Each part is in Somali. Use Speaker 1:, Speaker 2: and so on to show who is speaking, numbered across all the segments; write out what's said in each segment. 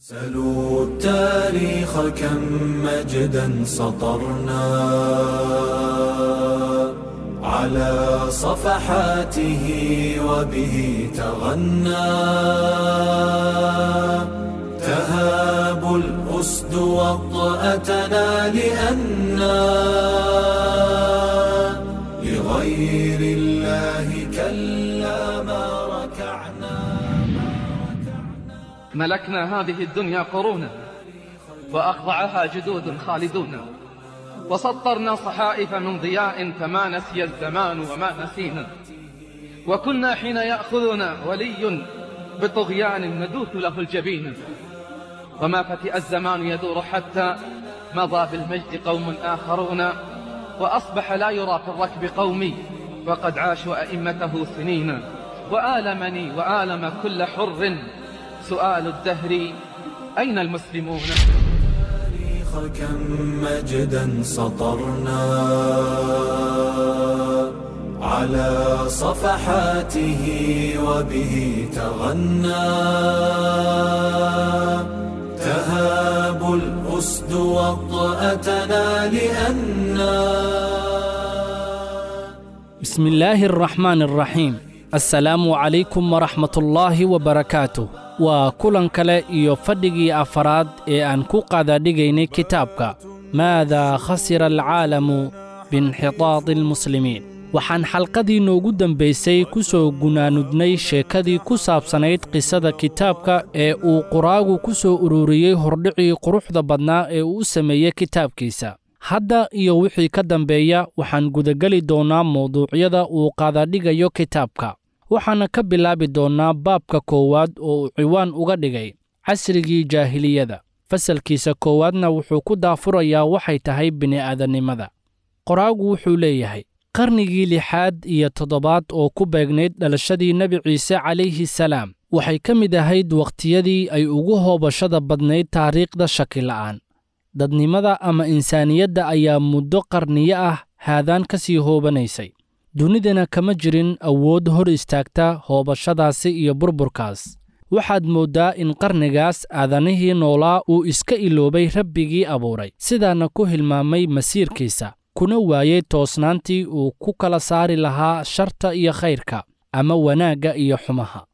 Speaker 1: سلوا التاريخ كم مجدا سطرنا على صفحاته وبه تغنى تهاب الأسد وطأتنا لأنا لغير الله كلا ما ركعنا.
Speaker 2: ملكنا هذه الدنيا قرونا وأخضعها جدود خالدون، وسطرنا صحائف من ضياء فما نسي الزمان وما نسينا، وكنا حين يأخذنا ولي بطغيان ندوث له الجبين، وما فتئ الزمان يدور حتى مضى بالمجد قوم آخرون، وأصبح لا يرى في الركب قومي وقد عاشوا أئمته سنين. وآلمني وآلم كل حر سؤال الدهر أين المسلمون؟
Speaker 1: كم مجدا سطرنا على صفحاته وبه تغنى تهاب الأسد وطأتنا لأنا.
Speaker 3: بسم الله الرحمن الرحيم. Assalaamu calaykum waraxmatullaahi wabarakaatuh. Waa kulan kale iyo fadhigii afaraad ee aan ku qaadadhigaynay kitaabka Maadaa khasira alcaalamu biinxitaadi almuslimiin. Waxaan xalqadii noogu dambaysay ku soo gunaanudnay sheekadii ku saabsanayd qisada kitaabka ee uu qoraagu ku soo ururiyey hordhicii quruxda badnaa ee uu u sameeyey kitaabkiisa. Hadda iyo wixii ka dambeeya waxaan gudageli doonnaa mawduucyada uu qaadadhigayo kitaabka, waxaana ka bilaabi doonnaa baabka koowaad oo uu ciwaan uga dhigay casrigii jaahiliyada. Fasalkiisa koowaadna wuxuu ku daafurayaa waxay tahay bini'aadannimada. Qoraagu wuxuu leeyahay qarnigii 6aad iyo 7aad oo ku beegnayd dhalashadii Nebi Ciise calayhi salaam waxay ka mid ahayd wakhtiyadii ay ugu hoobashada badnayd taariikhda shakila'aan. Dadnimada ama insaaniyadda ayaa muddo qarniyo ah haadaan ka sii hoobanaysay, dunidana kama jirin awood hor istaagta hoobashadaasi iyo burburkaas. Waxaad mooddaa in qarnigaas aadanihii noolaa uu iska iloobay rabbigii abuuray, sidaana ku hilmaamay masiirkiisa, kuna waayey toosnaantii uu ku kala saari lahaa sharta iyo khayrka ama wanaagga iyo xumaha.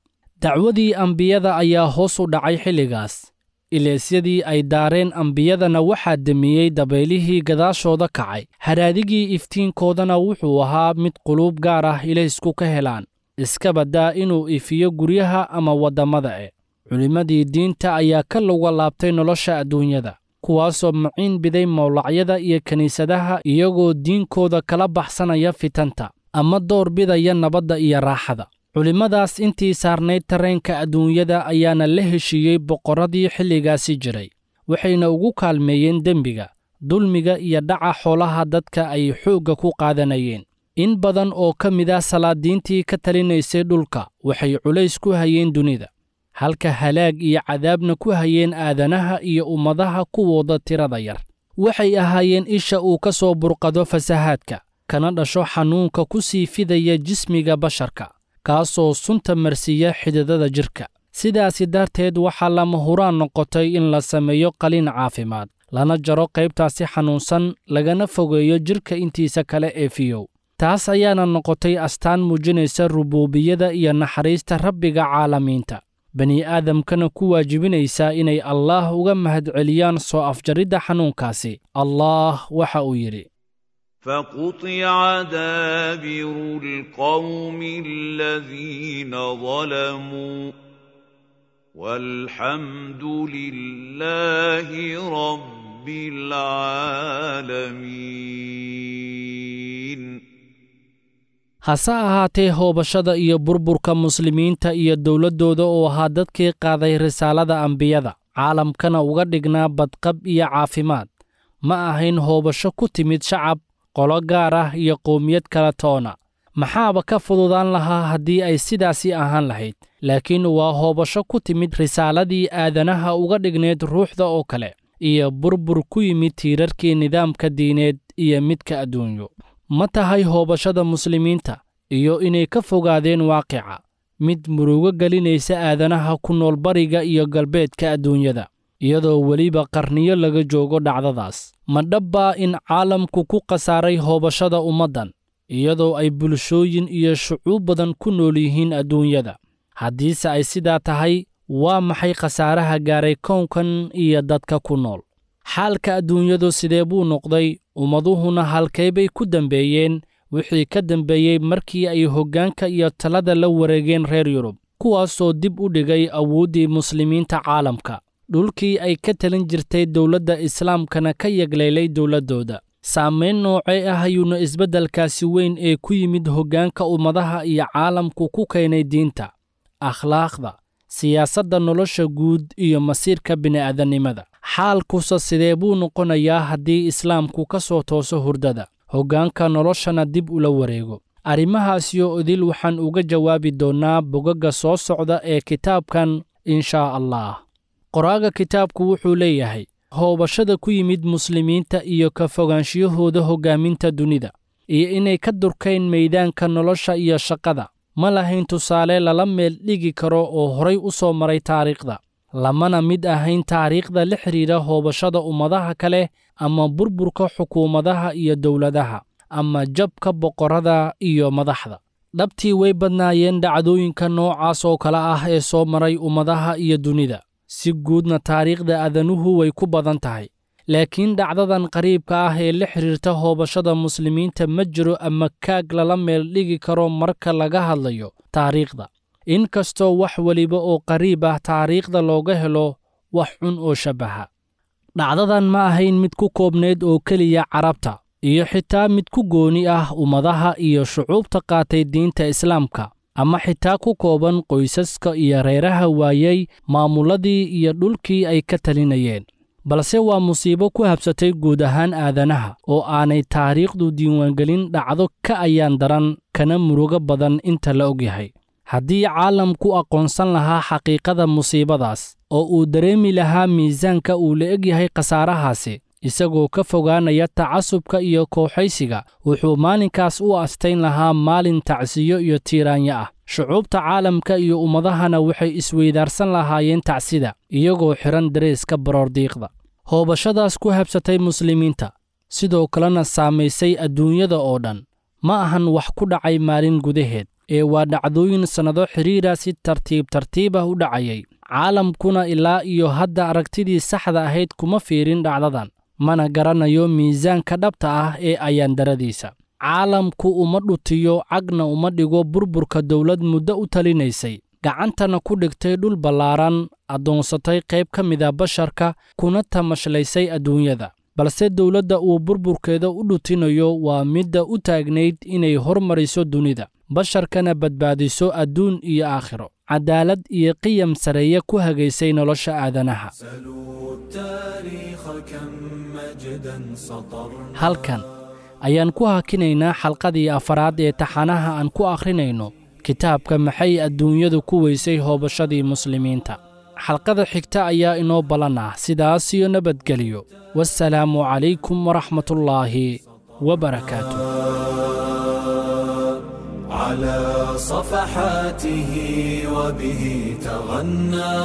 Speaker 3: Dacwadii ambiyada ayaa hoos u dhacay xilligaas. Ileesyadii ay daareen ambiyadana waxaa demiyey dabaylihii gadaashooda kacay. Haraadigii iftiinkoodana wuxuu ahaa mid quluub gaar ah ilaysku ka helaan, iska baddaa inuu ifiyo guryaha ama waddamada e. Culimmadii diinta ayaa ka luga laabtay nolosha adduunyada, kuwaasoo maciin biday mawlacyada iyo kiniisadaha iyagoo diinkooda kala baxsanaya fitanta ama door bidaya nabadda iyo raaxada. Culimmadaas intii saarnayd tareenka adduunyada ayaana la heshiiyey boqorradii xilligaasi jiray, waxayna ugu kaalmeeyeen dembiga, dulmiga iyo dhaca xoolaha dadka ay xoogga ku qaadanayeen. In badan oo ka mid ah salaadiintii ka talinaysay dhulka waxay culays ku hayeen dunida, halka halaag iyo cadaabna ku hayeen aadanaha iyo ummadaha kuwooda tirada yar. Waxay ahaayeen isha uu ka soo burqado fasahaadka, kana dhasho xanuunka ku sii fidaya jismiga basharka, kaasoo sunta marsiiya xididada jirka. Sidaasi darteed waxaa lama huraan noqotay in la sameeyo qaliin caafimaad, lana jaro qaybtaasi xanuunsan, lagana fogeeyo jirka intiisa kale ee fiyow. Taas ayaana noqotay astaan muujinaysa rubuubiyada iyo naxariista rabbiga caalamiinta, bani'aadamkana ku waajibinaysa inay Allaah uga mahadceliyaan soo afjaridda xanuunkaasi. Allaah waxa uu yidhi:
Speaker 4: فقطع دابر القوم الذين ظلموا والحمد لله رب العالمين.
Speaker 3: Hase ahaatee hoobashada iyo burburka muslimiinta iyo dowladdooda oo ahaa dadkii qaaday risaalada ambiyada, caalamkana uga dhignaa badqab iyo caafimaad, ma ahayn hoobasho ku timid shacab, qolo gaar ah iyo qowmiyad kala toona. Maxaaba ka fududaan lahaa haddii ay sidaasi ahaan lahayd, laakiin waa hoobasho ku timid risaaladii aadanaha uga dhignayd ruuxda oo kale, iyo burbur ku yimid tiirarkii nidaamka diineed iyo midka adduunyo. Ma tahay hoobashada muslimiinta iyo inay ka fogaadeen waaqica mid murugo gelinaysa aadanaha ku nool bariga iyo galbeedka adduunyada? iyadoo weliba qarniyo laga joogo dhacdadaas. Ma dhabbaa in caalamku ku khasaaray hoobashada ummaddan, iyadoo ay bulshooyin iyo shucuub badan ku nool yihiin adduunyada? Haddiise ay sidaa tahay, waa maxay khasaaraha gaaray kownkan iyo dadka ku nool? Xaalka adduunyadu sidee buu noqday? Ummaduhuna halkee bay ku dambeeyeen wixii ka dambeeyey markii ay hoggaanka iyo talada la wareegeen reer Yurub, kuwaasoo dib u dhigay awooddii muslimiinta caalamka, dhulkii ay ka talin jirtay dowladda islaamkana ka yagleelay dowladdooda? Saamayn noocee ah ayuuna isbeddelkaasi weyn ee ku yimid hoggaanka ummadaha iyo caalamku ku keenay diinta, akhlaaqda, siyaasadda, nolosha guud iyo masiirka bini'aadanimada? Xaalkuse sidee buu noqonayaa haddii islaamku ka soo tooso hurdada, hoggaanka noloshana dib ula wareego? Arrimahaasiyo idil waxaan uga jawaabi doonnaa bogagga soo socda ee kitaabkan, inshaa Allah. Qoraaga kitaabku wuxuu leeyahay: hoobashada ku yimid muslimiinta iyo ka fogaanshiyahooda hoggaaminta dunida, iyo inay ka durkayn maydaanka nolosha iyo shaqada, ma lahayn tusaale lala meel dhigi karo oo horay u soo maray taariikhda, lamana mid ahayn taariikhda la xidhiidha hoobashada ummadaha kale ama burburka xukuumadaha iyo dowladaha ama jabka boqorrada iyo madaxda. Dhabtii way badnaayeen dhacdooyinka noocaas oo kale ah ee soo maray ummadaha iyo dunida. Si guudna taariikhda aadanuhu way ku badan tahay. Laakiin dhacdadan qariibka ah ee la xidhiirta hoobashada muslimiinta ma jiro ama kaag lala meel dhigi karo marka laga hadlayo taariikhda. Inkastoo wax weliba oo qariib ah taariikhda looga helo wax xun oo shabbaha. Dhacdadan ma ahayn mid ku koobnayd oo keliya Carabta, iyo xitaa mid ku gooni ah ummadaha iyo shucuubta qaatay diinta islaamka, ama xitaa ku kooban qoysaska iyo reeraha waayey maamuladii iyo dhulkii ay ka talinayeen. Balse waa musiibo ku habsatay guud ahaan aadanaha oo aanay taariikhdu diiwaangelin dhacdo ka ayaan daran kana murugo badan inta la ogyahay. Haddii caalamku aqoonsan lahaa xaqiiqada musiibadaas oo uu dareemi lahaa miisaanka uu la egyahay khasaarahaasi, isagoo ka fogaanaya tacasubka iyo kooxaysiga, wuxuu maalinkaas u astayn lahaa maalin tacsiyo iyo tiiraanyo ah. Shucuubta caalamka iyo ummadahana waxay isweydaarsan lahaayeen tacsida, iyagoo xidhan dareeska baroordiiqda. Hoobashadaas ku habsatay muslimiinta, sidoo kalena saamaysay adduunyada oo dhan, ma ahan wax ku dhacay maalin gudaheed, ee waa dhacdooyin sannado xidhiidha si tartiib tartiib ah u dhacayay. Caalamkuna ilaa iyo hadda aragtidii saxda ahayd kuma fiirin dhacdadan, mana garanayo miisaanka dhabta ah ee ayaandaradiisa. Caalamku uma dhutiyo, cagna uma dhigo burburka dowlad muddo u talinaysay, gacantana ku dhigtay dhul ballaaran, addoonsatay qayb ka mida basharka, kuna tamashlaysay adduunyada. Balse dowladda uu burburkeeda u dhutinayo waa midda u taagnayd inay hormariso dunida, basharkana badbaadiso adduun iyo aakhiro, cadaalad iyo qiyam sareeye ku hagaysay nolosha aadanaha. Halkan ayaan ku hakinaynaa xalqadii afaraad ee taxanaha aan ku akhrinayno kitaabka Maxay Adduunyadu ku Weysay Hoobashadii Muslimiinta. Xalqada xigta ayaa inoo ballan ah. Sidaas iyo nabadgeliyo. Wassalaamu calaykum waraxmatullaahi wabarakaatu.
Speaker 1: على صفحاته وبه تغنى،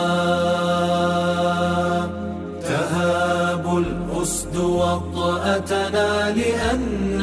Speaker 1: تهاب الأسد وطأتنا لأننا